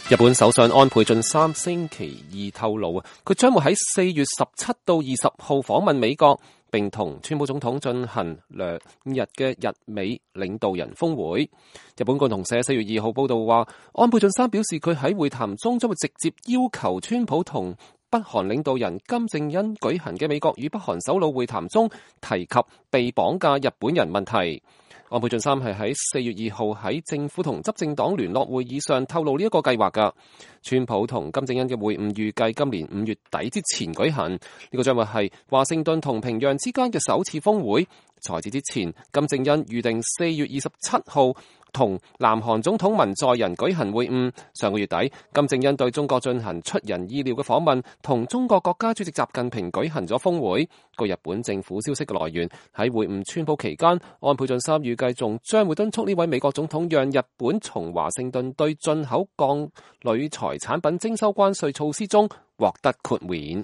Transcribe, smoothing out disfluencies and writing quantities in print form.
日本首相安倍晉三星期二透露佢將會喺4月17到20號訪問美國，並同川普總統進行2日嘅日美領導人峰會。日本共同社4月2號報道話，安倍晉三表示佢喺會談中將會直接要求川普同北韓領導人金正恩舉行嘅美國與北韓首腦會談中提及被綁架日本人問題。安倍晉三係喺4月2號喺政府同執政黨聯絡會議上透露呢一個計劃㗎。川普同金正恩嘅會晤預計今年5月底之前舉行，呢個將會係華盛頓同平壤之間嘅首次峰會。在此之前，金正恩預定4月27號同南韓總統文在寅舉行會晤。上個月底，金正恩對中國進行出人意料嘅訪問，同中國國家主席習近平舉行咗峰會。據日本政府消息嘅來源，喺會晤川普期間，安倍晉三預計仲將會敦促呢位美國總統讓日本從華盛頓對進口鋼鋁材產品徵收關稅措施中獲得豁免。